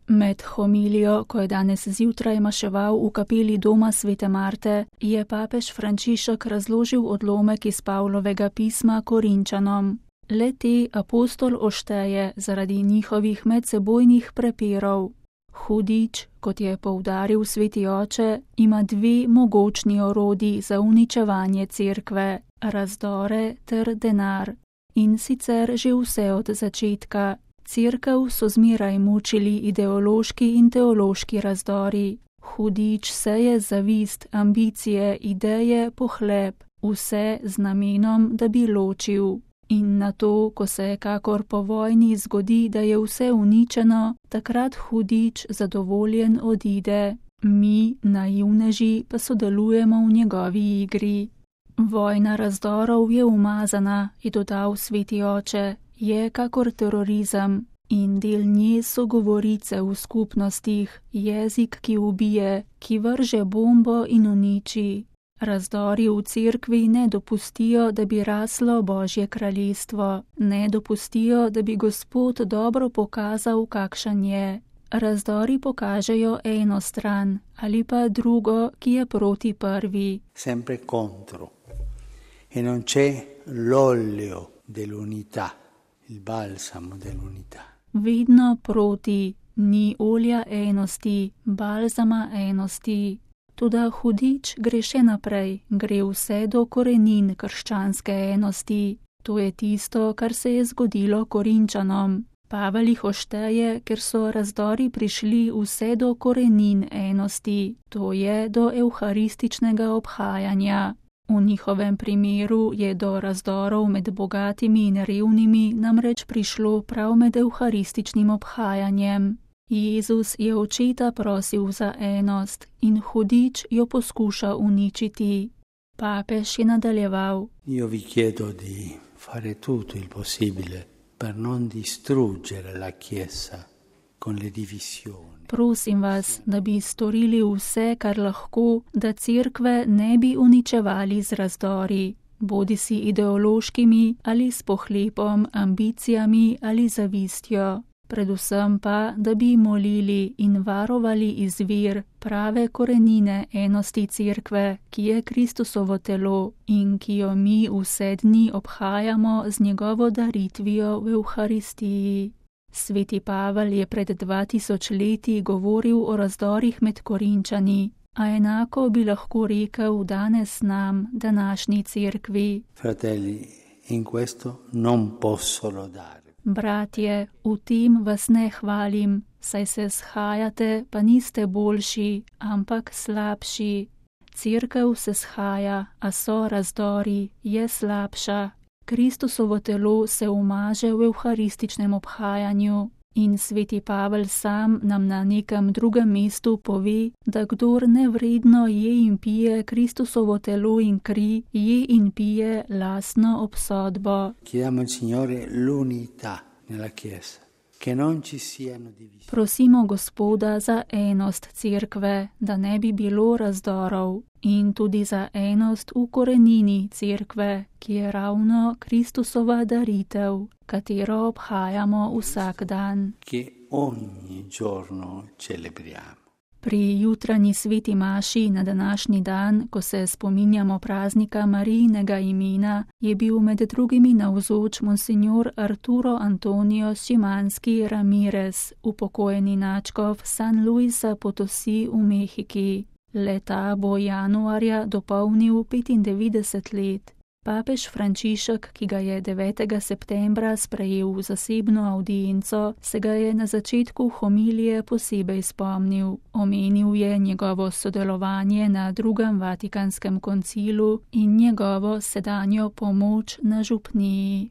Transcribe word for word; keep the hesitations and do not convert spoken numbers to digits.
Med homilijo, ko je danes zjutraj maševal v kapeli doma svete Marte, je papež Frančišek razložil odlomek iz Pavlovega pisma Korinčanom. Le te apostol ošteje zaradi njihovih medsebojnih prepirov. Hudič, kot je poudaril sveti oče, ima dve mogočni orodji za uničevanje cerkve, razdore ter denar. In sicer že vse od začetka. Cerkev so zmeraj mučili ideološki in teološki razdori. Hudič seje zavist, ambicije, ideje, pohleb, vse z namenom, da bi ločil. In na to, ko se kakor po vojni zgodi, da je vse uničeno, takrat hudič zadovoljen odide. Mi, naivneži, pa sodelujemo v njegovi igri. Vojna razdorov je umazana, je dodal sveti oče, je kakor terorizem in del nje so govorice v skupnostih, jezik, ki ubije, ki vrže bombo in uniči. Razdori v cerkvi ne dopustijo, da bi raslo Božje kraljestvo, ne dopustijo, da bi Gospod dobro pokazal, kakšen je. Razdori pokažejo eno stran ali pa drugo, ki je proti prvi. Sempre contro. E non c'è l'olio dell'unità, il balsamo dell'unità. Vedno proti, ni olja enosti, balzama enosti. Toda hudič gre še naprej, gre vse do korenin krščanske enosti. To je tisto, kar se je zgodilo Korinčanom. Pavel jih ošteje, ker so razdori prišli vse do korenin enosti, to je do evharističnega obhajanja. V njihovem primeru je do razdorov med bogatimi in revnimi namreč prišlo prav med evharističnim obhajanjem. Jezus je očeta prosil za enost in hudič jo poskuša uničiti. Papež je nadaljeval. Io vi chiedo di fare tutto il possibile per non distruggere la Chiesa con le divisioni. Prosim vas, da bi storili vse, kar lahko, da cerkve ne bi uničevali z razdori, bodisi ideološkimi ali s pohlepom, ambicijami ali zavistjo. Predvsem pa, da bi molili in varovali izvir, prave korenine enosti cerkve, ki je Kristusovo telo in ki jo mi vse dni obhajamo z njegovo daritvijo v Evharistiji. Sveti Pavel je pred dva tisoč leti govoril o razdorih med Korinčani, a enako bi lahko rekel danes nam, današnji cerkvi. Fratelli, in questo non posso lodare. Bratje, v tem vas ne hvalim, saj se shajate, pa niste boljši, ampak slabši. Cerkev se shaja, a so razdori, je slabša. Kristusovo telo se umaže v evharističnem obhajanju in sveti Pavel sam nam na nekem drugem mestu pove, da kdor nevredno je in pije Kristusovo telo in kri, je in pije lastno obsodbo. Chiediamo al Signore l'unità nella Chiesa, che non ci siano divisioni. Prosimo Gospoda za enost cerkve, da ne bi bilo razdorov, in tudi za enost v korenini cerkve, ki je ravno Kristusova daritev, katero obhajamo vsak dan. Che ogni giorno celebriamo. Pri jutranji sveti maši na današnji dan, ko se spominjamo praznika Marijinega imena, je bil med drugimi navzoč monsinjor Arturo Antonio Šimanski Ramirez, upokojeni nadškof San Luisa Potosi v Mehiki. Leta bo januarja dopolnil petindevetdeset let. Papež Frančišek, ki ga je devetega septembra sprejel v zasebno avdienco, se ga je na začetku homilije posebej spomnil. Omenil je njegovo sodelovanje na drugem Vatikanskem koncilu in njegovo sedanjo pomoč na župniji.